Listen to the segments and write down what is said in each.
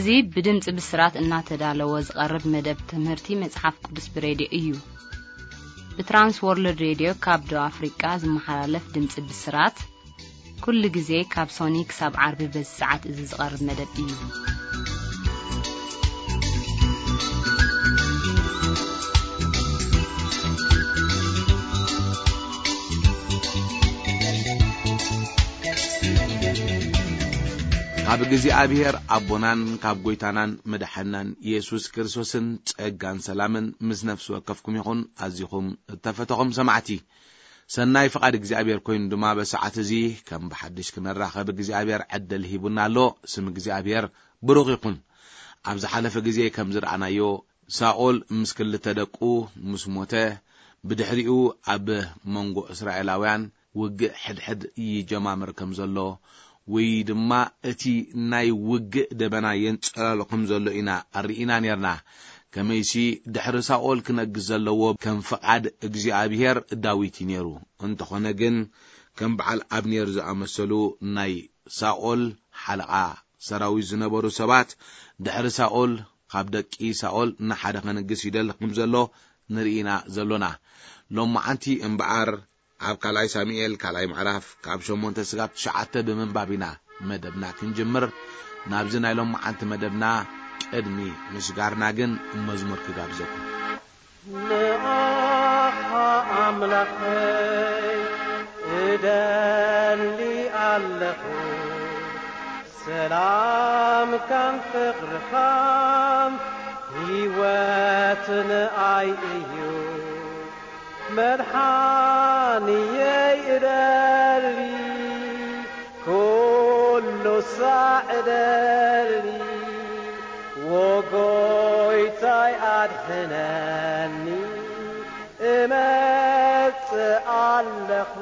እዚ ብድምፂ ብስራት እናተዳለወ ዝቐርብ መደብ ትምህርቲ መፅሓፍ ቅዱስ ብሬድዮ እዩ። ብትራንስ ወርልድ ሬድዮ ካብ ደቡብ ኣፍሪቃ ዝመሓላለፍ ድምፂ ብስራት ኩሉ ግዜ ካብ ሶኒ ክሳብ ዓርቢ በዚ ሰዓት እዚ ዝቐርብ መደብ እዩ። ካብ እግዚኣብሔር ኣቦናን ካብ ጐይታናን መድሓናን ኢየሱስ ክርስቶስን ጸጋን ሰላምን ምስ ነፍሲ ወከፍኩም ይኹን። ኣዚኹም እተፈተኹም ሰማዕቲ፣ ሰናይ ፍቓድ እግዚኣብሔር ኮይኑ ድማ በሰዓት እዚ ከም ብሓድሽ ክንራኸብ እግዚኣብሔር ዕድል ሂቡና ኣሎ። ስም እግዚኣብሔር ብሩኽ ይኹን። ኣብ ዝሓለፈ ግዜ ከም ዝረኣናዮ፣ ሳኦል ምስ ክልተ ደቁ ምስ ሞተ፣ ብድሕሪኡ ኣብ መንጎ እስራኤላውያን ውግእ ሕድሕድ ይጀማምር ከም ዘሎ፣ ወይ ድማ እቲ ናይ ውግእ ደበና የንጸላሎ ከም ዘሎ ኢና ኣርኢና ኔርና። ከመይሲ ድሕሪ ሳኦል ክነግስ ዘለዎ ከም ፍቓድ እግዚኣብሔር ዳዊት እዩ ኔሩ። እንተኾነ ግን ከም በዓል ኣብኔር ዝኣመሰሉ ናይ ሳኦል ሓለቓ ሰራዊት ዝነበሩ ሰባት ድሕሪ ሳኦል ካብ ደቂ ሳኦል ንሓደ ከንግስ ይደሊ ከም ዘሎ ንርኢና ዘሎና። ሎማዓንቲ እምበኣር ኣብ ካልኣይ ሳሙኤል ካልኣይ ምዕራፍ ካብ ሸሞንተ ስጋብ ትሽዓተ ብምንባብ ኢና መደብና ክንጅምር። ናብዚ ናይ ሎማዓንቲ መደብና ቅድሚ ምሽጋርና ግን መዝሙር ክጋብዘኩም። ንኣኻ ኣምላኸይ እደሊ ኣለኹ፣ ሰላምካን ፍቕርኻን ህይወት ንኣይ እዩ። መድሓንየይ እደሊ፣ ኩሉ ሳዕ እደሊ፣ ወጎይታይ ኣድሕነኒ፣ እመጽእ ኣለኹ።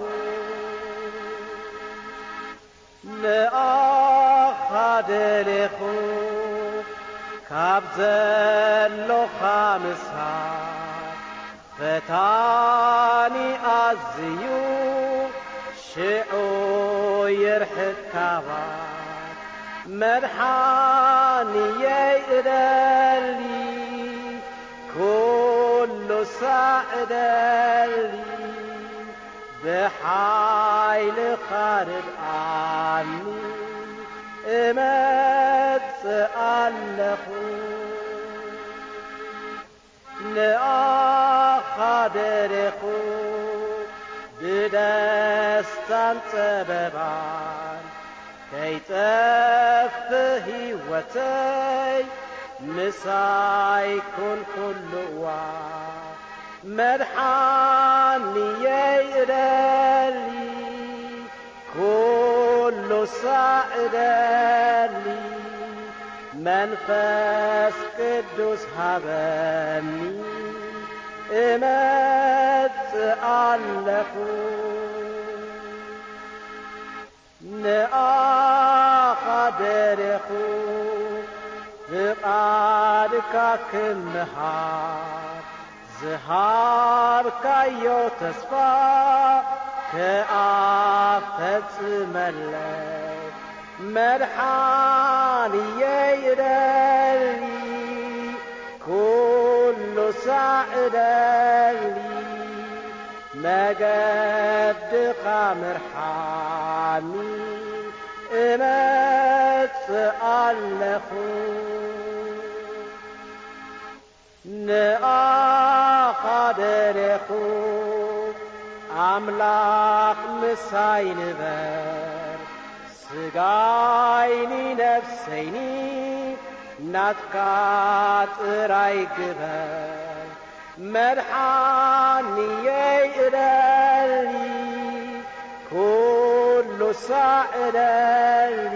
ንኣኻ ደሌኹ ካብ ዘሎኻ ምሳሕ፣ ፈታኒ ኣዝዩ ሽዑ ይርሕቅ ካባይ። መድሓንየይ እደሊ፣ ኩሉ ሳዕ እደሊ፣ ብሓይልኻ ርድኣኒ፣ እመጽእ ኣለኹ። ንኣኻ ደሌኹ ብደስታን ጸበባን፣ ከይጠፍእ ህይወተይ ምሳይ ኩን ኩሉ እዋን። መድሓንየይ እደሊ፣ ኩሉ ሳዕ እደሊ፣ መንፈስ ቅዱስ ሃበኒ፣ እመጽእ ኣለኹ። ንኣኻ ደሌኹ ፍቓድካ ክምሃር፣ ዝሃብካዮ ተስፋ ከኣ ፈጽመለይ። መድሓንየይ እደሊ፣ ኩሉ ሳዕ እደሊ፣ መገድኻ ምርሓኒ፣ እመጽእ ኣለኹ። ንኣኻ ደሌኹ ኣምላኽ ምሳይ ንበር፣ ስጋይኒ ነፍሰይኒ ናትካ ጥራይ ግበር። መድሓንየይ እደሊ፣ ኩሉ ሳዕ እደሊ፣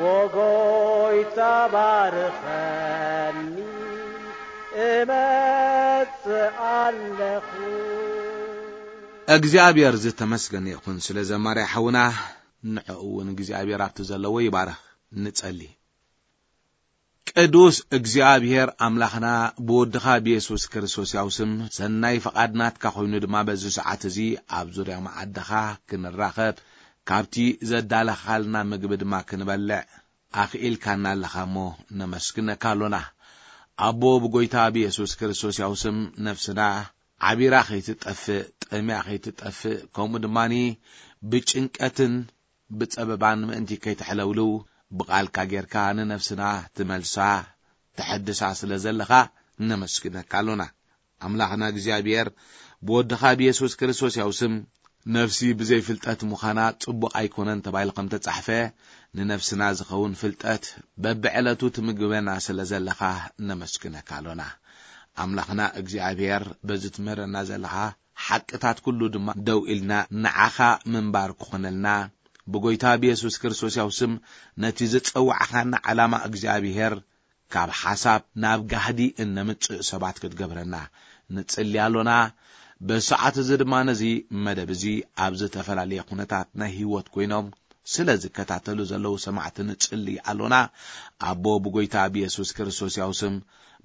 ወጎይታ ባርኸኒ፣ እመጽእ ኣለኹ። እግዚኣብሔር ዝተመስገነ ይኹን ስለ ዘማርያ ሓውና፣ ንዕኡ እውን እግዚኣብሔር ኣብቲ ዘለዎ ይባርኽ። ንጸሊ። ቅዱስ እግዚኣብሔር ኣምላኽና፣ ብወድኻ ብየሱስ ክርስቶስ ያው ስም ሰናይ ፍቓድ ናትካ ኮይኑ ድማ በዚ ሰዓት እዚ ኣብ ዙርያ መዓድኻ ክንራኸብ፣ ካብቲ ዘዳለኻልና ምግቢ ድማ ክንበልዕ ኣኽኢልካና ኣለኻ እሞ ነመስግነካ ኣሎና። ኣቦ ብጎይታ ብየሱስ ክርስቶስ ያው ስም ነፍስና ዓቢራ ከይትጠፍእ፣ ጠምያ ከይትጠፍእ፣ ከምኡ ድማኒ ብጭንቀትን ብጸበባን ምእንቲ ከይትሕለውልው ብቓልካ ጌርካ ንነፍስና ትመልሳ፣ ተሐድሳ ስለ ዘለኻ ነመስግነካ ኣሎና። ኣምላኽና እግዚኣብሔር ብወድኻ ብየሱስ ክርስቶስ ያው ስም ነፍሲ ብዘይ ፍልጠት ምዃና ጽቡቕ ኣይኮነን ተባሂሉ ከም ተጻሕፈ፣ ንነፍስና ዝኸውን ፍልጠት በብዕለቱ ትምግበና ስለ ዘለኻ ነመስግነካ ኣሎና። ኣምላኽና እግዚኣብሔር በዚ ትምህረና ዘለኻ ሓቅታት ኩሉ ድማ ደው ኢልና ንዓኻ ምንባር ክኾነልና ብጎይታ ብየሱስ ክርስቶስ ያው ስም ነቲ ዝጸዋዕኻና ዓላማ እግዚኣብሔር ካብ ሓሳብ ናብ ጋህዲ እነምጽእ ሰባት ክትገብረና ንጽሊ ኣሎና። ብሰዓት እዚ ድማ ነዚ መደብ እዚ ኣብ ዝተፈላለየ ኩነታት ናይ ህይወት ኮይኖም ስለ ዝከታተሉ ዘለዉ ሰማዕቲ ንጽሊ ኣሎና። ኣቦ ብጎይታ ብየሱስ ክርስቶስ ያው ስም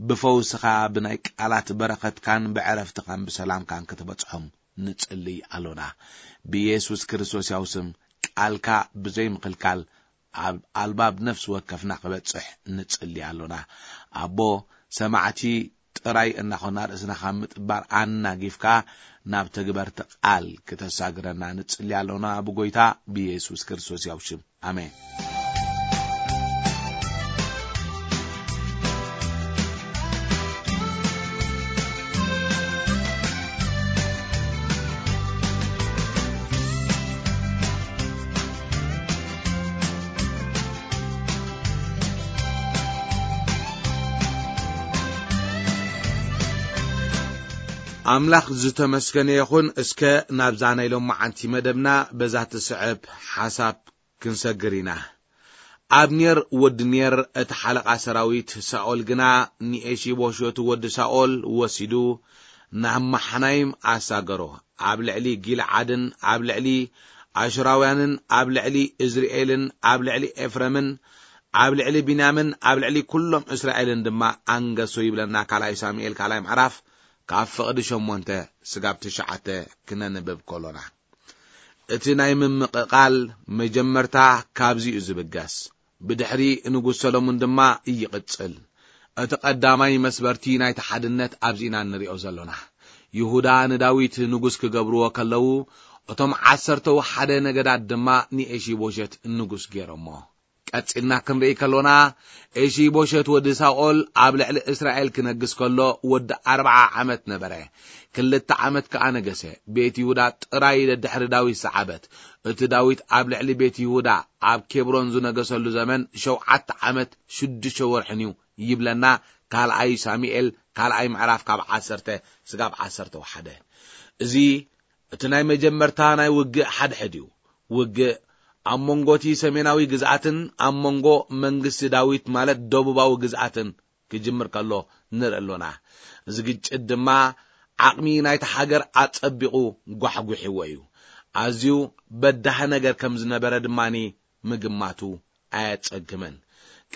ብፈውስኻ ብናይ ቃላት በረኸትካን ብዕረፍትኻን ብሰላምካን ክትበጽሖም ንጽሊ ኣሎና። ብየሱስ ክርስቶስ ያው ስም ቃልካ ብዘይ ምኽልካል ኣብ ኣልባብ ነፍሲ ወከፍና ክበጽሕ ንጽሊ ኣሎና። ኣቦ ሰማዕቲ ጥራይ እናኾና ርእስና ካብ ምጥባር ኣናጊፍካ ናብ ተግበርቲ ቃል ክተሳግረና ንጽሊ ኣሎና ብጎይታ ብየሱስ ክርስቶስ ያው ሽም። ኣሜን። ኣምላኽ ዝተመስገነ ይኹን። እስከ ናብዛ ናይ ሎማዓንቲ መደብና በዛ ትስዕብ ሓሳብ ክንሰግር ኢና። ኣብኔር ወዲ ኔር እቲ ሓለቓ ሰራዊት ሳኦል ግና ንኤሺቦሾት ወዲ ሳኦል ወሲዱ ናብ ማሓናይም ኣሳገሮ። ኣብ ልዕሊ ጊልዓድን ኣብ ልዕሊ ኣሽራውያንን ኣብ ልዕሊ እዝርኤልን ኣብ ልዕሊ ኤፍረምን ኣብ ልዕሊ ቢንያምን ኣብ ልዕሊ ኩሎም እስራኤልን ድማ ኣንገሶ ይብለና ካልኣይ ሳሙኤል ካልኣይ ምዕራፍ ካብ ፍቕዲ ሸሞንተ ስጋብ ትሽዓተ ክነንብብ ከሎና። እቲ ናይ ምምቕቓል መጀመርታ ካብዚ እዩ ዝብገስ። ብድሕሪ ንጉስ ሰሎሞን ድማ ይቕጽል። እቲ ቀዳማይ መስበርቲ ናይቲ ሓድነት ኣብዚ ኢና እንሪኦ ዘሎና። ይሁዳ ንዳዊት ንጉስ ክገብርዎ ከለዉ፣ እቶም ዓሰርተው ሓደ ነገዳት ድማ ንኤሺቦሸት ንጉስ ገይሮሞ። ቀጺልና ክንርኢ ከሎና፣ ኤሺቦሸት ወዲ ሳኦል ኣብ ልዕሊ እስራኤል ክነግስ ከሎ፣ ወዲ ኣርብዓ ዓመት ነበረ። ክልተ ዓመት ከኣ ነገሰ። ቤት ይሁዳ ጥራይ ደድሕሪ ዳዊት ሰዓበት። እቲ ዳዊት ኣብ ልዕሊ ቤት ይሁዳ ኣብ ኬብሮን ዝነገሰሉ ዘመን ሸውዓተ ዓመት ሽዱሽተ ወርሕን እዩ ይብለና ካልኣይ ሳሙኤል ካልኣይ ምዕራፍ ካብ ዓሰርተ ስጋብ ዓሰርተ ወሓደ። እዚ እቲ ናይ መጀመርታ ናይ ውግእ ሓድሕድ እዩ። ውግእ ኣብ መንጎ እቲ ሰሜናዊ ግዝኣትን ኣብ መንጎ መንግስቲ ዳዊት ማለት ደቡባዊ ግዝኣትን ክጅምር ከሎ ንርኢ ኣሎና። እዚ ግጭት ድማ ዓቕሚ ናይቲ ሃገር ኣጸቢቑ ጓሕጒሕዎ እዩ። ኣዝዩ በዳሂ ነገር ከም ዝነበረ ድማኒ ምግማቱ ኣየጸግምን።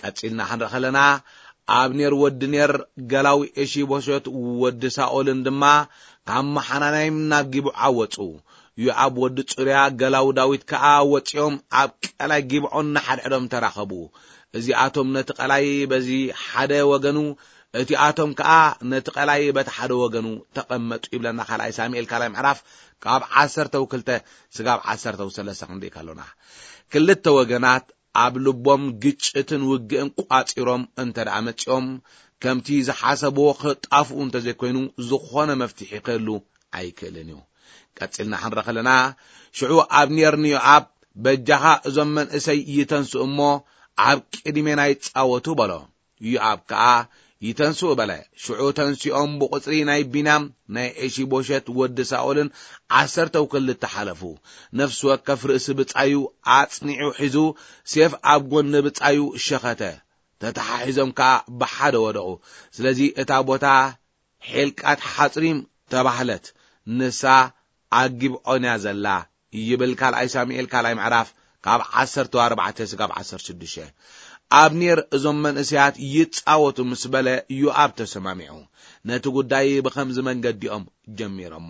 ቀጺልና ክንርኢ ከለና፣ ኣብኔር ወዲ ኔር ገላዊ ኤሺቦሸት ወዲ ሳኦልን ድማ ካብ መሓናናይም ናብ ጊብዓ ወጹ። ዮኣብ ወዲ ጽሩያ ገላዊ ዳዊት ከኣ ወጺኦም ኣብ ቀላይ ጊብዖን ንሓድሕዶም ተራኸቡ። እዚኣቶም ነቲ ቀላይ በዚ ሓደ ወገኑ፣ እቲኣቶም ከኣ ነቲ ቀላይ በቲ ሓደ ወገኑ ተቐመጡ ይብለና ካልኣይ ሳሙኤል ካልኣይ ምዕራፍ ካብ ዓሰርተው ክልተ ስጋብ ዓሰርተው ሰለስተ ክንርኢ ከሎና። ክልተ ወገናት ኣብ ልቦም ግጭትን ውግእን ቋጺሮም እንተ ደኣ መጺኦም፣ ከምቲ ዝሓሰብዎ ክጣፍኡ እንተ ዘይኮይኑ፣ ዝኾነ መፍትሒ ክህሉ ኣይክእልን እዩ። ቀጺልና ክንረ ከለና፣ ሽዑ ኣብኔር ንዮኣብ፣ "በጃኻ እዞም መንእሰይ ይተንስኡ እሞ፣ ኣብ ቅድሜና ይጻወቱ" በሎ። ዮኣብ ከኣ፣ "ይተንስኡ" በለ። ሽዑ ተንሲኦም ብቑጽሪ ናይ ቢንያም ናይ ኤሺቦሸት ወዲ ሳኦልን ዓሰርተው ክልተ ሓለፉ። ነፍሲ ወከፍ ርእሲ ብጻዩ ኣጽኒዑ ሒዙ፣ ሴፍ ኣብ ጎኒ ብጻዩ ሸኸተ። ተተሓሒዞም ከኣ ብሓደ ወደቑ። ስለዚ እታ ቦታ ሔልቃት ሓጽሪም ተባህለት። ንሳ ኣብ ጊብዖን እያ ዘላ ይብል ካልኣይ ሳሙኤል ካልኣይ ምዕራፍ ካብ ዓሰርተ ኣርባዕተ ስጋብ ዓሰርተ ሽዱሽተ። ኣብኔር እዞም መንእሰያት ይጻወቱ ምስ በለ ዮኣብ ተሰማሚዑ። ነቲ ጉዳይ ብኸምዚ መንገዲኦም ጀሚሮሞ።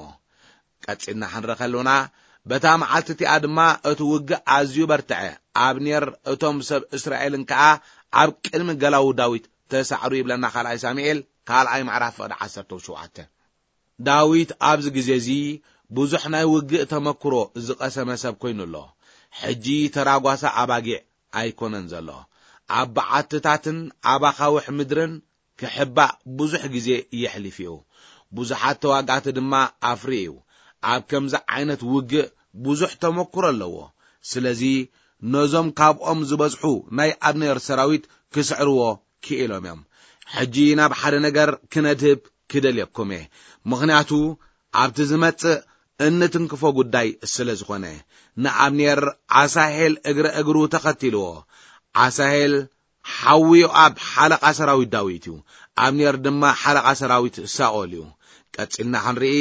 ቀጺልና ክንረ ከሎና፣ በታ መዓልቲ እቲኣ ድማ እቲ ውግእ ኣዝዩ በርትዐ። ኣብኔር እቶም ሰብ እስራኤልን ከኣ ኣብ ቅድሚ ገላዉ ዳዊት ተሳዕሩ ይብለና ካልኣይ ሳሙኤል ካልኣይ ምዕራፍ ፍቕዲ ዓሰርተ ሸውዓተ። ዳዊት ኣብዚ ግዜ እዚ ብዙሕ ናይ ውግእ ተመክሮ ዝቐሰመ ሰብ ኮይኑ ኣሎ። ሕጂ ተራጓሳ ኣባጊዕ ኣይኮነን ዘሎ። ኣብ በዓትታትን ኣብ ኣኻውሕ ምድርን ክሕባእ ብዙሕ ግዜ የሕሊፉ እዩ። ብዙሓት ተዋጋእቲ ድማ ኣፍርዩ እዩ። ኣብ ከምዚ ዓይነት ውግእ ብዙሕ ተመክሮ ኣለዎ። ስለዚ ነዞም ካብኦም ዝበዝሑ ናይ ኣብኔር ሰራዊት ክስዕርዎ ክኢሎም እዮም። ሕጂ ናብ ሓደ ነገር ክነድህብ ክደልየኩም እየ። ምኽንያቱ ኣብቲ ዝመጽእ እንትንክፎ ጉዳይ ስለ ዝኾነ። ንኣብኔር ኣሳሄል እግረ እግሩ ተኸቲልዎ። ኣሳሄል ሓዊ ዮኣብ ሓለቓ ሰራዊት ዳዊት እዩ። ኣብኔር ድማ ሓለቓ ሰራዊት ሳኦል እዩ። ቀጺልና ክንርኢ፣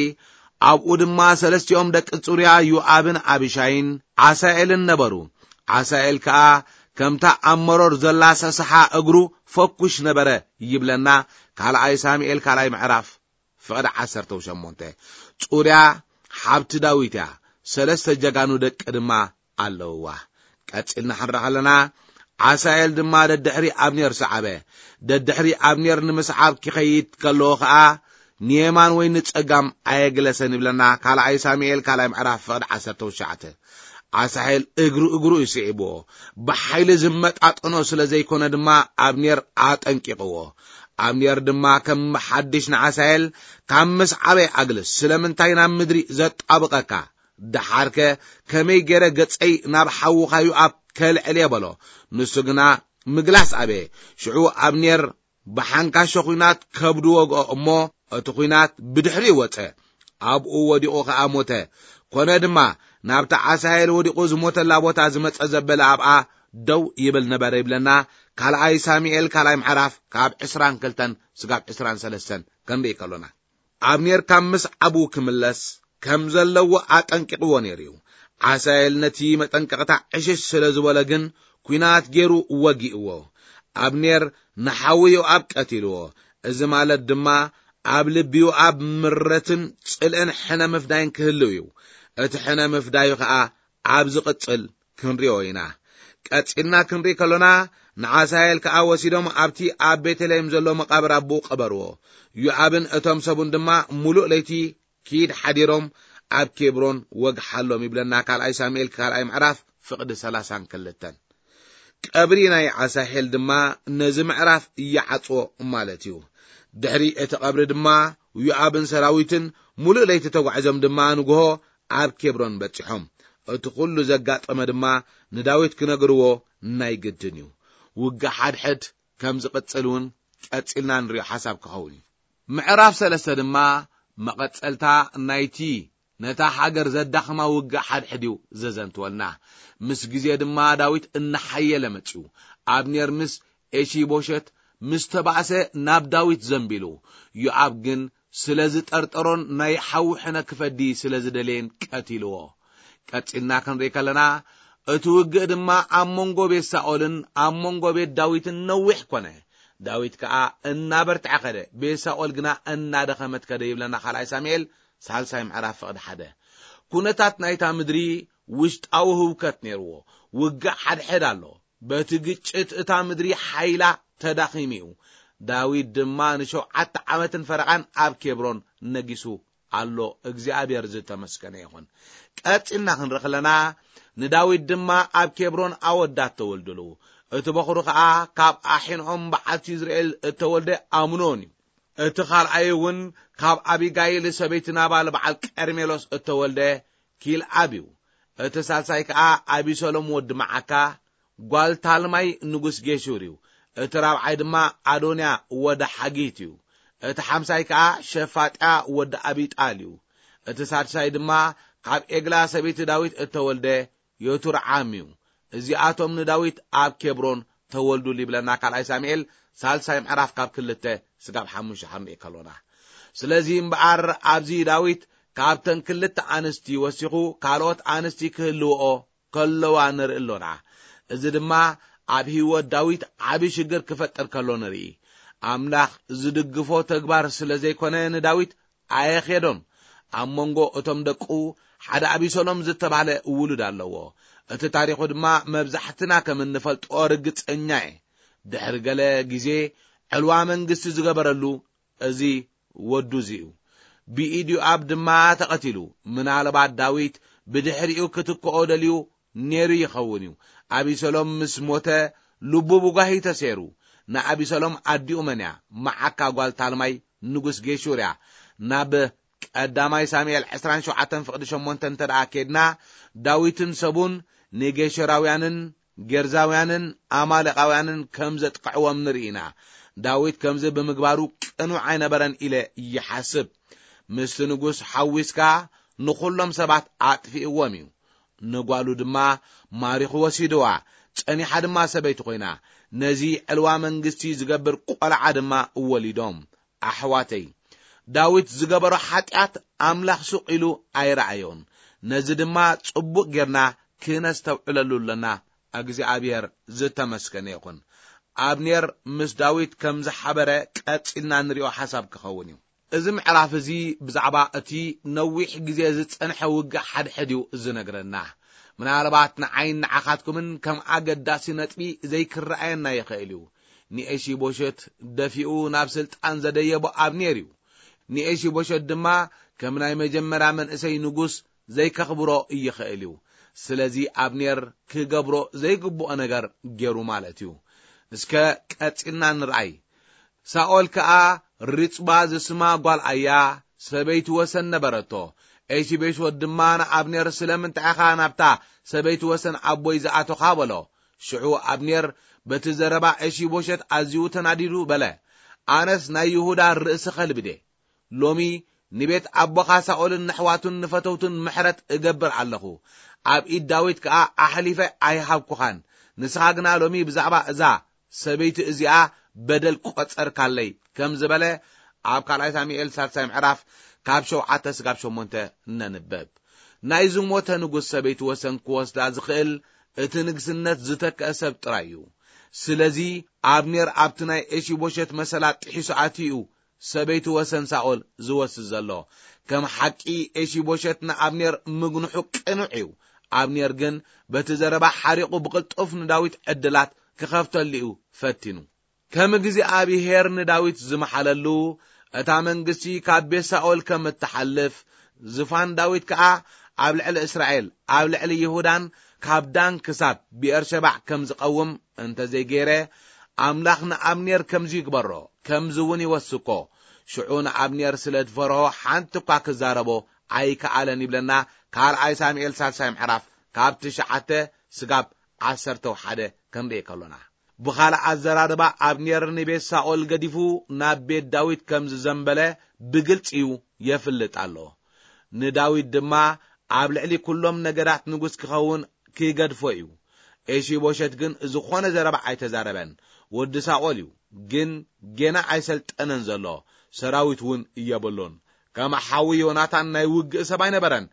ኣብኡ ድማ ሰለስቲኦም ደቂ ጽሩያ ዮኣብን ኣቢሻይን ዓሳኤልን ነበሩ። ዓሳኤል ከኣ ከምታ ኣብ መሮር ዘላ ሰሰሓ እግሩ ፈኩሽ ነበረ ይብለና ካልኣይ ሳሙኤል ካልኣይ ምዕራፍ ፍቕዲ ዓሰርተ ሸሞንተ። ጽሩያ ሓብቲ ዳዊት እያ። ሰለስተ ጀጋኑ ደቂ ድማ ኣለውዋ። ቀጺልና ክንርኢ ከለና፣ ዓሳኤል ድማ ደድሕሪ ኣብኔር ሰዓበ። ደድሕሪ ኣብኔር ንምስዓብ ክኸይድ ከለዎ ኸኣ፣ ንየማን ወይ ንጸጋም ኣየግለሰን ይብለና ካልኣይ ሳሙኤል ካልኣይ ምዕራፍ ፍቕዲ ዓሰርተ ትሽዓተ። ዓሳኤል እግሩ እግሩ እዩ ስዒብዎ። ብሓይሊ ዝመጣጠኖ ስለ ዘይኮነ ድማ ኣብኔር ኣጠንቂቕዎ። ኣብኔር ድማ ከም ሓድሽ ንዓሳኤል፣ ካብ ምስዓበይ ኣግልስ፣ ስለምንታይ ናብ ምድሪ ዘጣብቐካ? ደሓርከ ከመይ ገይረ ገጸይ ናብ ሓውኻ ዮኣብ ከልዕል እየ በሎ። ንሱ ግና ምግላስ ኣበየ። ሽዑ ኣብኔር ብሓንካሾ ኲናት ከብዱ ወግኦ እሞ፣ እቲ ኲናት ብድሕሪኡ ወጸ። ኣብኡ ወዲቑ ኸኣ ሞተ። ኮነ ድማ፣ ናብቲ ዓሳሄል ወዲቑ ዝሞተላ ቦታ ዝመጸ ዘበለ ኣብኣ ደው ይብል ነበረ ይብለና። ካልኣይ ሳሙኤል ካልኣይ ምዕራፍ ካብ ዕስራን ክልተን ስጋብ ዕስራን ሰለስተን ክንርኢ ከሎና። ኣብኔር ካብ ምስዓቡ ክምለስ ከም ዘለዎ ኣጠንቂቕዎ ነይሩ እዩ። ዓሳኤል ነቲ መጠንቀቕታ ዕሽሽ ስለ ዝበሎ ግን፣ ኲናት ገይሩ ወጊእዎ። ኣብኔር ንሓዊ ዮኣብ ቀቲልዎ። እዚ ማለት ድማ፣ ኣብ ልቢ ዮኣብ ምረትን ጽልእን ሕነ ምፍዳይን ክህልው እዩ። እቲ ሕነ ምፍዳዩ ኸኣ ኣብ ዝቕጽል ክንሪኦ ኢና። ቀጺልና ክንርኢ ከሎና፣ ንዓሳኤል ከኣ ወሲዶም ኣብቲ ኣብ ቤተልሔም ዘሎ መቓብር ኣቦኡ ቀበርዎ። ዮኣብን እቶም ሰቡን ድማ ምሉእ ለይቲ ኪድ ሓዲሮም ኣብ ኬብሮን ወግሓሎም ይብለና ካልኣይ ሳሙኤል ካልኣይ ምዕራፍ ፍቕዲ ሰላሳን ክልተን። ቀብሪ ናይ ዓሳሄል ድማ ነዚ ምዕራፍ ይዓጽዎ ማለት እዩ። ድሕሪ እቲ ቀብሪ ድማ ዮኣብን ሰራዊትን ምሉእ ለይቲ ተጓዒዞም ድማ ንግሆ ኣብ ኬብሮን በጺሖም። እቲ ኩሉ ዘጋጠመ ድማ ንዳዊት ክነግርዎ ናይ ግድን እዩ። ውግእ ሓድሕድ ከም ዝቕጽል እውን ቀጺልና ንሪኦ ሓሳብ ክኸውን እዩ። ምዕራፍ ሰለስተ ድማ መቐጸልታ ናይቲ ነታ ሃገር ዘዳኽማ ውግእ ሓድሕድ እዩ ዘዘንትወልና። ምስ ግዜ ድማ ዳዊት እናሓየለ መጺኡ። ኣብኔር ምስ ኤሺቦሸት ምስ ተባእሰ ናብ ዳዊት ዘንቢሉ። ዮኣብ ግን ስለ ዝጠርጠሮን ናይ ሓዊ ሕነ ክፈዲ ስለ ዝደለየን ቀቲልዎ። ቀጺልና ክንርኢ ከለና፣ እቲ ውግእ ድማ ኣብ መንጎ ቤት ሳኦልን ኣብ መንጎ ቤት ዳዊትን ነዊሕ ኮነ። ዳዊት ከኣ እናበርትዐ ከደ፣ ቤት ሳኦል ግና እናደኸመት ከደ ይብለና ካልኣይ ሳሙኤል ሳልሳይ ምዕራፍ ፍቕዲ ሓደ። ኩነታት ናይታ ምድሪ ውሽጣዊ ህውከት ነይርዎ። ውግእ ሓድሕድ ኣሎ። በቲ ግጭት እታ ምድሪ ሓይላ ተዳኺሙ እዩ። ዳዊት ድማ ንሸውዓተ ዓመትን ፈረቓን ኣብ ኬብሮን ነጊሱ ኣሎ። እግዚኣብሔር ዝተመስገነ ይኹን። ቀጺልና ክንርኢ ከለና፣ ንዳዊት ድማ ኣብ ኬብሮን ኣወዳት ተወልድሉ። እቲ በኹሩ ኸኣ ካብ ኣሒንዖም በዓልቲ ይዝርኤል እተወልደ ኣምኖን እዩ። እቲ ካልኣይ እውን ካብ ኣቢጋይል ሰበይቲ ናባል በዓል ቀርሜሎስ እተወልደ ኪልኣብ እዩ። እቲ ሳልሳይ ከኣ ኣቢሰሎም ወዲ መዓካ፣ ጓል ታልማይ ንጉስ ጌሹር እዩ። እቲ ራብዓይ ድማ ኣዶንያ ወዲ ሓጊት እዩ። እቲ ሓምሳይ ከኣ ሸፋጥያ ወዲ ኣቢጣል እዩ። እቲ ሳድሳይ ድማ ካብ ኤግላ ሰበይቲ ዳዊት እተወልደ ዮቱርዓም እዩ። እዚኣቶም ንዳዊት ኣብ ኬብሮን ተወልዱሉ ይብለና ካልኣይ ሳሙኤል ሳልሳይ ምዕራፍ ካብ ክልተ ስጋብ ሓሙሽተ ክንርኢ ከሎና። ስለዚ እምበኣር ኣብዚ ዳዊት ካብተን ክልተ ኣንስቲ ወሲኹ ካልኦት ኣንስቲ ክህልውኦ ከለዋ ንርኢ ኣሎና። እዚ ድማ ኣብ ህይወት ዳዊት ዓቢ ሽግር ክፈጥር ከሎ ንርኢ። ኣምላኽ ዝድግፎ ተግባር ስለ ዘይኮነ ንዳዊት ኣየኼዶን። ኣብ መንጎ እቶም ደቁ ሓደ ኣቢሰሎም ዝተባህለ ውሉድ ኣለዎ። እቲ ታሪኹ ድማ መብዛሕትና ከም እንፈልጦ ርግጸኛ እየ። ድሕሪ ገለ ግዜ ዕልዋ መንግስቲ ዝገበረሉ እዚ ወዱ እዚ እዩ። ብኢድ ዮኣብ ድማ ተቐቲሉ። ምናልባት ዳዊት ብድሕሪኡ ክትክኦ ደልዩ ነይሩ ይኸውን እዩ። ኣቢሰሎም ምስ ሞተ ልቡ ብጓሂ ተሰይሩ። ንኣቢሰሎም ኣዲኡ መን እያ? መዓካ ጓል ታልማይ ንጉስ ጌሹር እያ። ናብ ቀዳማይ ሳሙኤል ዕስራን ሸውዓተን ፍቕዲ ሸሞንተ እንተ ደኣ ኬድና፣ ዳዊትን ሰቡን ንጌሹራውያንን ጌርዛውያንን ኣማሌቃውያንን ከም ዘጥቅዕዎም ንርኢ ኢና። ዳዊት ከምዚ ብምግባሩ ቅኑዕ ኣይነበረን ኢለ ይሓስብ። ምስቲ ንጉስ ሓዊስካ ንኹሎም ሰባት ኣጥፊእዎም እዩ። ንጓሉ ድማ ማሪኹ ወሲድዋ። ጸኒሓ ድማ ሰበይቲ ኮይና። ነዚ ዕልዋ መንግስቲ ዝገብር ቆልዓ ድማ ወሊዶም። ኣሕዋተይ፣ ዳዊት ዝገበሮ ሓጢኣት ኣምላኽ ሱቕ ኢሉ ኣይረኣዮን። ነዚ ድማ ጽቡቕ ጌርና ክነስተውዕለሉ ኣለና። እግዚኣብሔር ዝተመስገነ ይኹን። ኣብኔር ምስ ዳዊት ከም ዝሓበረ ቀጺልና ንሪኦ ሓሳብ ክኸውን እዩ። እዚ ምዕራፍ እዚ ብዛዕባ እቲ ነዊሕ ግዜ ዝጸንሐ ውግእ ሓድሕድ እዩ ዝነግረና። ምናልባት ንዓይን ንዓኻትኩምን ከም ኣገዳሲ ነጥቢ ዘይክረኣየና ይኽእል እዩ። ንኤሺቦሸት ደፊኡ ናብ ስልጣን ዘደየቦ ኣብኔር እዩ። ንኤሺቦሸት ድማ ከም ናይ መጀመርያ መንእሰይ ንጉስ ዘይከኽብሮ ይኽእል እዩ። ስለዚ ኣብኔር ክገብሮ ዘይግብኦ ነገር ገይሩ ማለት እዩ። እስከ ቀጺልና ንርኣይ። ሳኦል ከኣ ሪጽባ ዝስማ ጓል ኣያ ሰበይቲ ወሰን ነበረቶ። ኤሺቦሸት ድማ ንኣብኔር፣ "ስለምንታይ ኢኻ ናብታ ሰበይቲ ወሰን ኣቦይ ዝኣቶኻ?" በሎ። ሽዑ ኣብኔር በቲ ዘረባ ኤሺቦሸት ኣዝዩ ተናዲዱ በለ፣ "ኣነስ ናይ ይሁዳ ርእሲ ከልቢ ድየ? ሎሚ ንቤት ኣቦኻ ሳኦልን ንኣሕዋቱን ንፈተውቱን ምሕረት እገብር ኣለኹ። ኣብ ኢድ ዳዊት ከኣ ኣሕሊፈ ኣይሃብኩኻን። ንስኻ ግና ሎሚ ብዛዕባ እዛ ሰበይቲ እዚኣ በደል ቆጸርካለይ" ከም ዝበለ ኣብ ካልኣይ ሳሙኤል ሳልሳይ ምዕራፍ ካብ ሸውዓተ ስጋብ ሸሞንተ ነንበብ። ናይ ዝሞተ ንጉስ ሰበይቲ ወሰን ክወስዳ ዝኽእል እቲ ንግስነት ዝተክአ ሰብ ጥራይ እዩ። ስለዚ ኣብኔር ኣብቲ ናይ ኤሺቦሸት መሰላ ጥሒሱ ኣትዩ ሰበይቲ ወሰን ሳኦል ዝወስድ ዘሎ። ከም ሓቂ ኤሺቦሸት ንኣብኔር ምግንሑ ቅኑዕ እዩ። ኣብኔር ግን በቲ ዘረባ ሓሪቑ ብቕልጡፍ ንዳዊት ዕድላት ክኸፍተሉ እዩ ፈቲኑ። ከም እግዚኣብሄር ንዳዊት ዝመሓለሉ፣ እታ መንግስቲ ካብ ቤት ሳኦል ከም እትሓልፍ፣ ዝፋን ዳዊት ከኣ ኣብ ልዕሊ እስራኤል፣ ኣብ ልዕሊ ይሁዳን ካብ ዳን ክሳብ ብኤርሸባዕ ከም ዝቐውም እንተ ዘይገይረ፣ ኣምላኽ ንኣብኔር ከምዚ ይግበሮ፣ ከምዚ እውን ይወስኮ። ሽዑ ንኣብኔር ስለ ዝፈርሆ ሓንቲ እኳ ክዛረቦ ኣይከኣለን ይብለና ካልኣይ ሳሙኤል ሳልሳይ ምዕራፍ ካብ ትሽዓተ ስጋብ ዓሰርተ ሓደ ክንርኢ ከሎና። ብኻልእ ኣዘራርባ ኣብኔር ንቤት ሳኦል ገዲፉ ናብ ቤት ዳዊት ከም ዝዘንበለ ብግልጺ እዩ የፍልጥ ኣሎ። ንዳዊት ድማ ኣብ ልዕሊ ኩሎም ነገዳት ንጉስ ክኸውን ክገድፎ እዩ። ኤሺቦሸት ግን ዝኾነ ዘረባ ኣይተዛረበን። ወዲ ሳኦል እዩ፣ ግን ጌና ኣይሰልጠነን ዘሎ፣ ሰራዊት እውን የብሉን። ከም ሓዊ ዮናታን ናይ ውግእ ሰብ ኣይነበረን።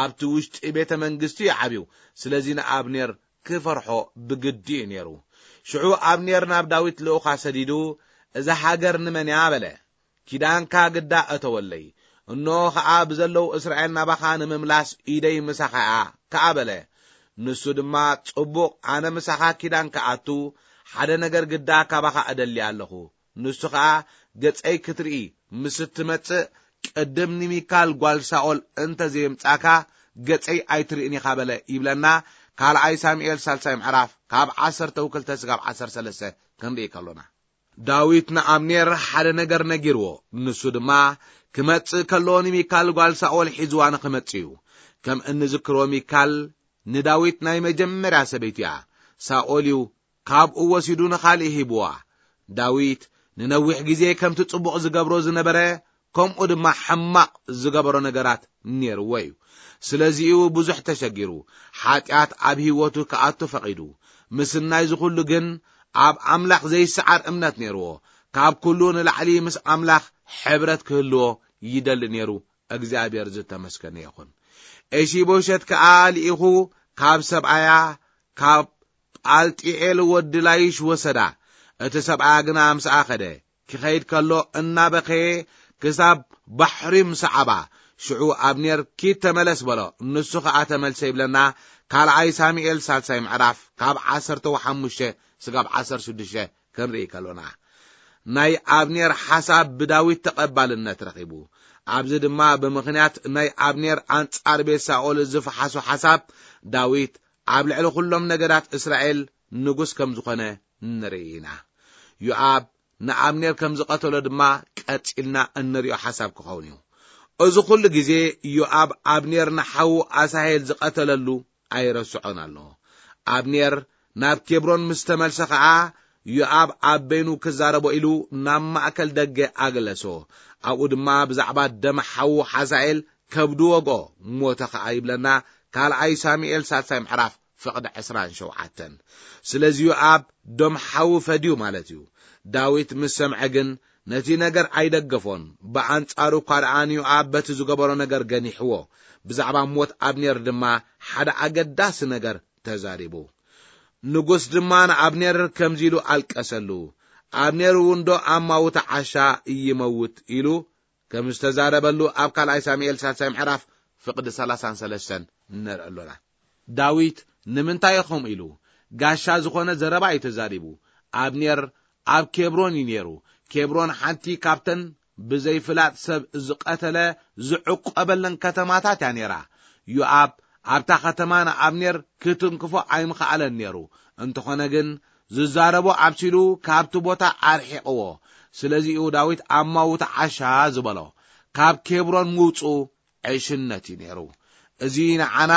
ኣብቲ ውሽጢ ቤተ መንግስቲ እዩ ዓብዩ። ስለዚ ንኣብኔር ክፈርሖ ብግዲ እዩ ነይሩ። ሽዑ ኣብኔር ናብ ዳዊት ልኡኻ ሰዲዱ፣ "እዛ ሃገር ንመን እያ?" በለ። "ኪዳንካ ግዳ እተወለይ፣ እንሆ ኸኣ ብዘለዉ እስራኤል ናባኻ ንምምላስ ኢደይ ምሳኻ እያ" ከኣ በለ። ንሱ ድማ፣ "ጽቡቕ፣ ኣነ ምሳኻ ኪዳን ክኣቱ ሓደ ነገር ግዳ ካባኻ እደሊ ኣለኹ። ንሱ ኸኣ ገጸይ ክትርኢ ምስ እትመጽእ፣ ቅድም ንሚካል ጓል ሳኦል እንተ ዘየምጻእካ፣ ገጸይ ኣይትርእን ኢኻ" በለ ይብለና ካልኣይ ሳሙኤል ሳልሳይ ምዕራፍ ካብ ዓሰርተ ክልተ ስጋብ ዓሰርተ ሰለስተ ክንርኢ ከሎና። ዳዊት ንኣብኔር ሓደ ነገር ነጊርዎ። ንሱ ድማ ክመጽእ ከሎ ንሚካል ጓል ሳኦል ሒዝዋ ንኽመጽእ እዩ። ከም እንዝክሮ ሚካል ንዳዊት ናይ መጀመርያ ሰበይቲ እያ። ሳኦል እዩ ካብኡ ወሲዱ ንኻልእ ሂብዋ። ዳዊት ንነዊሕ ግዜ ከምቲ ጽቡቕ ዝገብሮ ዝነበረ፣ ከምኡ ድማ ሕማቕ ዝገበሮ ነገራት ነይርዎ እዩ። ስለዚኡ ብዙሕ ተሸጊሩ። ሓጢኣት ኣብ ህይወቱ ክኣቱ ፈቒዱ። ምስናይ ዝኹሉ ግን ኣብ ኣምላኽ ዘይሰዓር እምነት ነይርዎ። ካብ ኩሉ ንላዕሊ ምስ ኣምላኽ ሕብረት ክህልዎ ይደሊ ነይሩ። እግዚኣብሔር ዝተመስገነ ይኹን። ኤሺቦሸት ከኣ ልኢኹ ካብ ሰብኣያ ካብ ጳልጢኤል ወዲ ላይሽ ወሰዳ። እቲ ሰብኣያ ግና ምስኣ ኸደ። ክኸይድ ከሎ እናበኸየ ክሳብ ባሕሪ ምሰዓባ። ሽዑ ኣብኔር፣ "ኪድ ተመለስ" በሎ። ንሱ ኸኣ ተመልሰ ይብለና፣ ካልኣይ ሳሙኤል ሳልሳይ ምዕራፍ ካብ ዓሰርተ ሓሙሽተ ስጋብ ዓሰርተ ሽዱሽተ ክንርኢ ከሎና። ናይ ኣብኔር ሓሳብ ብዳዊት ተቐባልነት ረኺቡ። ኣብዚ ድማ ብምኽንያት ናይ ኣብኔር ኣንጻር ቤት ሳኦል ዝፈሓሶ ሓሳብ፣ ዳዊት ኣብ ልዕሊ ኩሎም ነገዳት እስራኤል ንጉስ ከም ዝኾነ ንርኢ ኢና። ዮኣብ ንኣብኔር ከም ዝቐተሎ ድማ ቀጺልና እንሪኦ ሓሳብ ክኸውን እዩ። እዚ ኩሉ ግዜ ዮኣብ ኣብኔር ንሓዉ ኣሳሄል ዝቐተለሉ ኣይረስዖን ኣሎ። ኣብኔር ናብ ኬብሮን ምስ ተመልሰ ኸኣ፣ ዮኣብ ኣብ በይኑ ክዛረቦ ኢሉ ናብ ማእከል ደገ ኣገለሶ። ኣብኡ ድማ ብዛዕባ ደም ሓዉ ሓዛኤል ከብዱ ወግኦ፣ ሞተ ኸኣ ይብለና ካልኣይ ሳሙኤል ሳልሳይ ምዕራፍ ፍቕዲ ዕስራን ሸውዓተን። ስለዚ ዮኣብ ደም ሓዉ ፈድዩ ማለት እዩ። ዳዊት ምስ ሰምዐ ግን ነቲ ነገር ኣይደገፎን። ብኣንጻሩ እኳ ደኣ ንዮኣብ በቲ ዝገበሮ ነገር ገኒሕዎ። ብዛዕባ ሞት ኣብኔር ድማ ሓደ ኣገዳሲ ነገር ተዛሪቡ። ንጉስ ድማ ንኣብኔር ከምዚ ኢሉ ኣልቀሰሉ። ኣብኔር እውን ዶ ኣማውታ ዓሻ ይመውት ኢሉ ከም ዝተዛረበሉ ኣብ ካልኣይ ሳሙኤል ሳልሳይ ምዕራፍ ፍቕዲ ሰላሳን ሰለስተን ንርኢ ኣሎና። ዳዊት ንምንታይ ኢኹም ኢሉ ጋሻ ዝኾነ ዘረባ እዩ ተዛሪቡ። ኣብኔር ኣብ ኬብሮን እዩ ነይሩ። ኬብሮን ሓንቲ ካብተን ብዘይፍላጥ ሰብ ዝቐተለ ዝዕቆበለን ከተማታት እያ ነይራ። ዮኣብ ኣብታ ከተማ ንኣብኔር ክትንክፎ ኣይምኸኣለን ነይሩ። እንተኾነ ግን ዝዛረቦ ኣብሲሉ ካብቲ ቦታ ኣርሒቕዎ። ስለዚ'ዩ ዳዊት ኣማውታ ዓሻ ዝበሎ። ካብ ኬብሮን ምውጽኡ ዕሽነት እዩ ነይሩ። እዚ ንዓና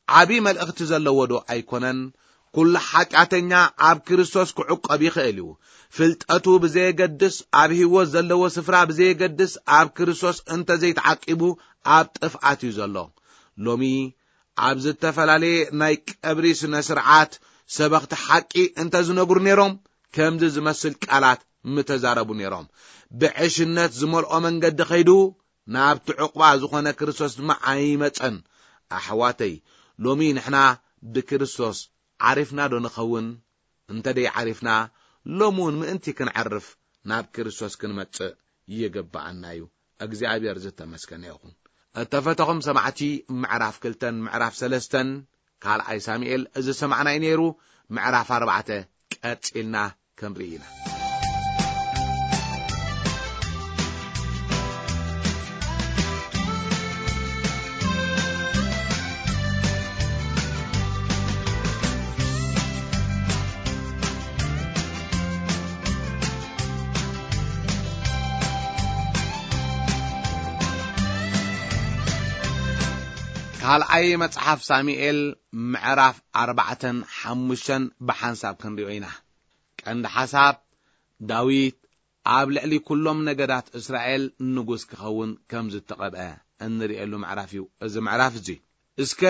ዓቢ መልእኽቲ ዘለዎ ዶ ኣይኮነን? ኩሉ ሓጢኣተኛ ኣብ ክርስቶስ ክዕቆብ ይኽእል እዩ። ፍልጠቱ ብዘየገድስ፣ ኣብ ህይወት ዘለዎ ስፍራ ብዘየገድስ፣ ኣብ ክርስቶስ እንተ ዘይተዓቂቡ ኣብ ጥፍኣት እዩ ዘሎ። ሎሚ ኣብ ዝተፈላለየ ናይ ቀብሪ ስነ ስርዓት ሰበኽቲ ሓቂ እንተ ዝነግሩ ነይሮም፣ ከምዚ ዝመስል ቃላት ምተዛረቡ ነይሮም። ብዕሽነት ዝመልኦ መንገዲ ኸይዱ ናብቲ ዕቑባ ዝኾነ ክርስቶስ ድማ ኣይመጸን። ኣሕዋተይ፣ ሎሚ ንሕና ብክርስቶስ ዓሪፍና ዶ ንኸውን? እንተ ደይ ዓሪፍና፣ ሎሚ እውን ምእንቲ ክንዓርፍ ናብ ክርስቶስ ክንመጽእ ይግብኣና እዩ። እግዚኣብሔር ዝተመስገነ ይኹን። እተፈተኹም ሰማዕቲ፣ ምዕራፍ ክልተን ምዕራፍ ሰለስተን ካልኣይ ሳሙኤል ዝሰማዕናይ ነይሩ። ምዕራፍ ኣርባዕተ ቀጺልና ክንርኢ ኢና። ካልኣይ መጽሓፍ ሳሙኤል ምዕራፍ ኣርባዕተን ሓሙሽተን ብሓንሳብ ክንሪኦ ኢና። ቀንዲ ሓሳብ፣ ዳዊት ኣብ ልዕሊ ኩሎም ነገዳት እስራኤል ንጉስ ክኸውን ከም ዝተቐብአ እንርእየሉ ምዕራፍ እዩ እዚ ምዕራፍ እዚ። እስከ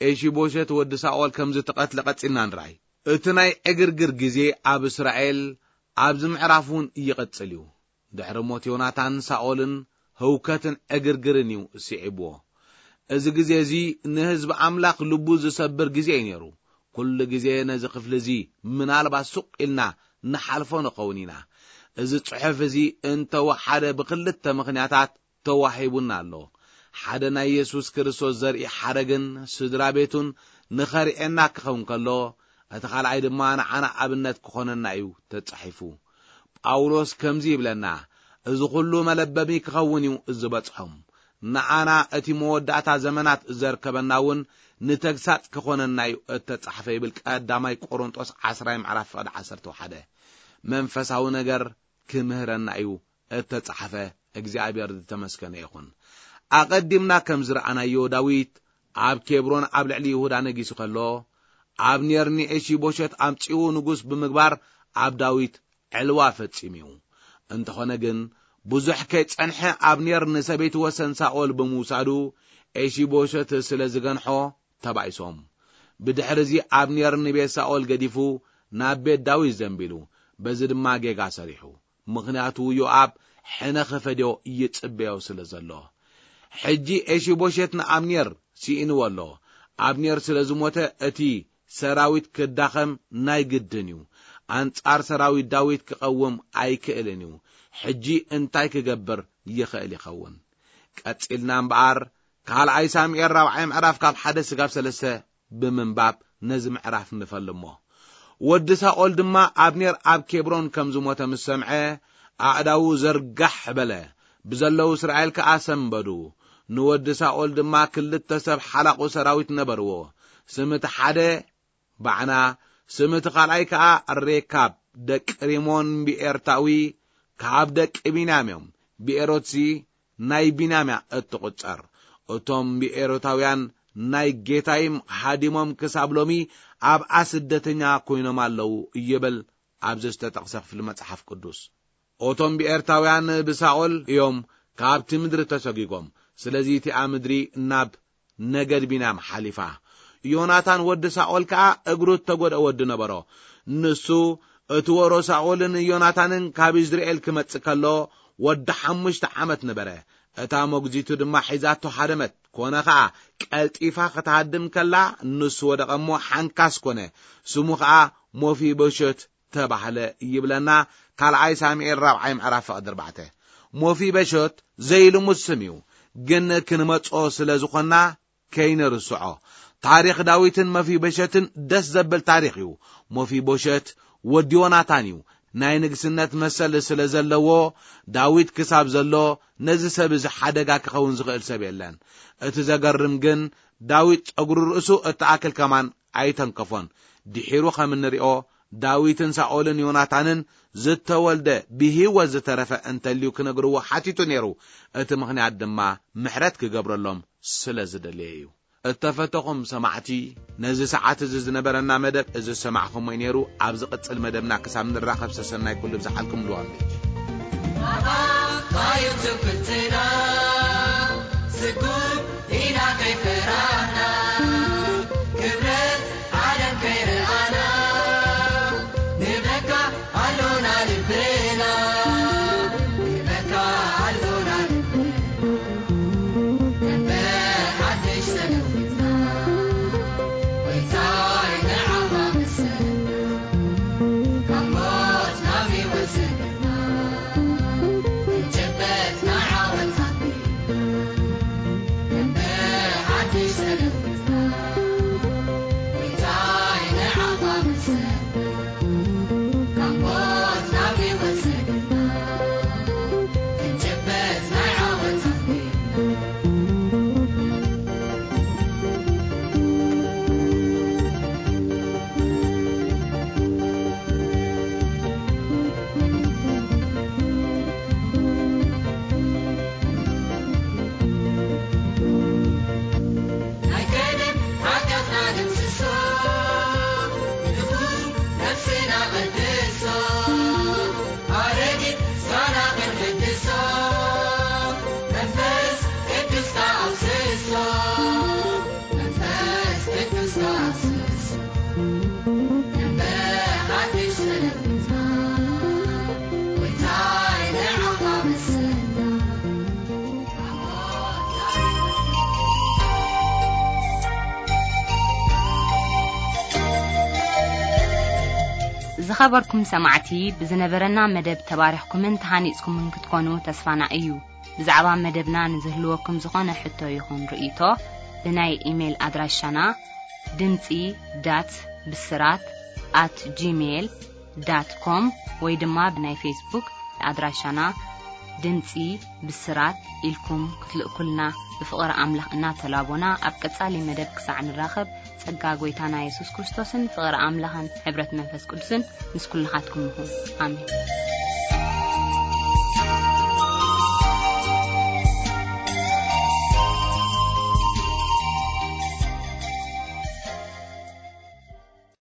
ኤሺቦሸት ወዲ ሳኦል ከም ዝተቐትለ ቀጺልና ንርኣይ። እቲ ናይ ዕግርግር ግዜ ኣብ እስራኤል ኣብዚ ምዕራፍ እውን ይቕጽል እዩ። ድሕሪ ሞት ዮናታን ሳኦልን ህውከትን ዕግርግርን እዩ ስዒብዎ። እዚ ግዜ እዚ ንህዝቢ ኣምላኽ ልቡ ዝሰብር ግዜ እዩ ነይሩ። ኩሉ ግዜ ነዚ ክፍሊ እዚ ምናልባት ሱቕ ኢልና ንሓልፎ ንኸውን ኢና። እዚ ጽሑፍ እዚ እንተወሓደ ብኽልተ ምኽንያታት ተዋሂቡና ኣሎ። ሓደ ናይ የሱስ ክርስቶስ ዘርኢ ሓረግን ስድራ ቤቱን ንኸርእየና ክኸውን ከሎ፣ እቲ ካልኣይ ድማ ንዓና ኣብነት ክኾነና እዩ ተጻሒፉ። ጳውሎስ ከምዚ ይብለና፣ "እዚ ኹሉ መለበሚ ክኸውን እዩ ዝበጽሖም። ንኣና እቲ መወዳእታ ዘመናት ዘርከበና እውን ንተግሳጽ ክኾነና እዩ እተጻሕፈ" ይብል ቀዳማይ ቆሮንጦስ ዓስራይ ምዕራፍ ፍቕዲ ዓሰርተ ሓደ። መንፈሳዊ ነገር ክምህረና እዩ እተጻሕፈ። እግዚኣብሔር ዝተመስገነ ይኹን። ኣቐዲምና ከም ዝረኣናዮ፣ ዳዊት ኣብ ኬብሮን ኣብ ልዕሊ ይሁዳ ነጊሱ ከሎ፣ ኣብኔር ንኤሺቦሸት ኣምጺኡ ንጉስ ብምግባር ኣብ ዳዊት ዕልዋ ፈጺሙ እዩ። እንተኾነ ግን፣ ብዙሕ ከይጸንሐ ኣብኔር ንሰበይቲ ወሰን ሳኦል ብምውሳዱ፣ ኤሺቦሸት ስለ ዝገንሖ ተባኢሶም። ብድሕርዚ ኣብኔር ንቤት ሳኦል ገዲፉ ናብ ቤት ዳዊት ዘንቢሉ፣ በዚ ድማ ጌጋ ሰሪሑ። ምኽንያቱ ዮኣብ ሕነ ኽፈድዮ ይጽበዮ ስለ ዘሎ። ሕጂ ኤሺቦሸት ንኣብኔር ስኢንዎ ኣሎ። ኣብኔር ስለ ዝሞተ እቲ ሰራዊት ክዳኸም ናይ ግድን እዩ። ኣንጻር ሰራዊት ዳዊት ክቐውም ኣይክእልን እዩ። ሕጂ እንታይ ክገብር ይኽእል ይኸውን? ቀጺልና እምበኣር፣ ካልኣይ ሳሙኤል ራብዓይ ምዕራፍ ካብ ሓደ ስጋብ ሰለስተ ብምንባብ ነዚ ምዕራፍ ንፈልሞ። ወዲ ሳኦል ድማ ኣብኔር ኣብ ኬብሮን ከም ዝሞተ ምስ ሰምዐ፣ ኣእዳዉ ዘርጋሕ በለ፣ ብዘለዉ እስራኤል ከኣ ሰንበዱ። ንወዲ ሳኦል ድማ ክልተ ሰብ ሓላቑ ሰራዊት ነበርዎ። ስም እቲ ሓደ ባዕና፣ ስም እቲ ካልኣይ ከኣ ሬካብ፣ ደቂ ሪሞን ብኤርታዊ፣ ካብ ደቂ ቢንያም እዮም። ብኤሮትሲ ናይ ቢንያም እያ እትቑጸር። እቶም ብኤሮታውያን ናይ ጌታይም ሃዲሞም ክሳብ ሎሚ ኣብኣ ስደተኛ ኮይኖም ኣለዉ ይብል ኣብዚ ዝተጠቕሰ ክፍሊ መጽሓፍ ቅዱስ። እቶም ብኤርታውያን ብሳኦል እዮም ካብቲ ምድሪ ተሰጒጎም። ስለዚ እቲኣ ምድሪ ናብ ነገድ ቢንያም ሓሊፋ። ዮናታን ወዲ ሳኦል ከኣ እግሩ እተጎድአ ወዲ ነበሮ። ንሱ እቲ ወሮ ሳኦልን ዮናታንን ካብ ኢዝራኤል ክመጽእ ከሎ ወዲ ሓሙሽተ ዓመት ነበረ። እታ መጉዚቱ ድማ ሒዛቶ ሃደመት። ኮነ ኸኣ ቀልጢፋ ክትሃድም ከላ ንሱ ወደቐ እሞ ሓንካስ ኮነ። ስሙ ኸኣ ሞፊቦሸት ተባህለ ይብለና ካልኣይ ሳሙኤል ራብዓይ ምዕራፍ ፍቕዲ ኣርባዕተ። ሞፊበሾት ዘይልሙድ ስም እዩ፣ ግን ክንመጾ ስለ ዝኾንና ከይንርስዖ። ታሪኽ ዳዊትን መፊበሸትን ደስ ዘብል ታሪኽ እዩ። ሞፊቦሸት ወዲ ዮናታን እዩ። ናይ ንግስነት መሰል ስለ ዘለዎ፣ ዳዊት ክሳብ ዘሎ ነዚ ሰብ እዚ ሓደጋ ክኸውን ዝኽእል ሰብ የለን። እቲ ዘገርም ግን ዳዊት ጸጉሪ ርእሱ እተኣክል ከማን ኣይተንከፎን። ድሒሩ ከም እንሪኦ ዳዊትን ሳኦልን ዮናታንን ዝተወልደ ብህይወት ዝተረፈ እንተልዩ ክነግርዎ ሓቲቱ ነይሩ። እቲ ምኽንያት ድማ ምሕረት ክገብረሎም ስለ ዝደለየ እዩ። እተፈተኹም ሰማዕቲ፣ ነዚ ሰዓት እዚ ዝነበረና መደብ እዚ ዝሰማዕኹሞ እዩ ነይሩ። ኣብ ዝቕጽል መደብና ክሳብ ንራኸብ ሰሰናይ ኩሉ ብዝሓልኩም ልዋም ቤት። ዝኸበርኩም ሰማዕቲ፣ ብዝነበረና መደብ ተባሪኽኩምን ተሃኒጽኩምን ክትኮኑ ተስፋና እዩ። ብዛዕባ መደብና ንዝህልወኩም ዝኾነ ሕቶ ይኹን ርእይቶ፣ ብናይ ኢሜይል ኣድራሻና ድምጺ ዳት ብስራት ኣት ጂሜይል ዳት ኮም ወይ ድማ ብናይ ፌስቡክ ኣድራሻና ድምጺ ብስራት ኢልኩም ክትልእኩልና ብፍቕሪ ኣምላኽ እናተላቦና፣ ኣብ ቀጻሊ መደብ ክሳዕ ንራኸብ፣ ጸጋ ጐይታና የሱስ ክርስቶስን ፍቕሪ ኣምላኽን ሕብረት መንፈስ ቅዱስን ምስ ኩልኻትኩም ይኹን። ኣሜን።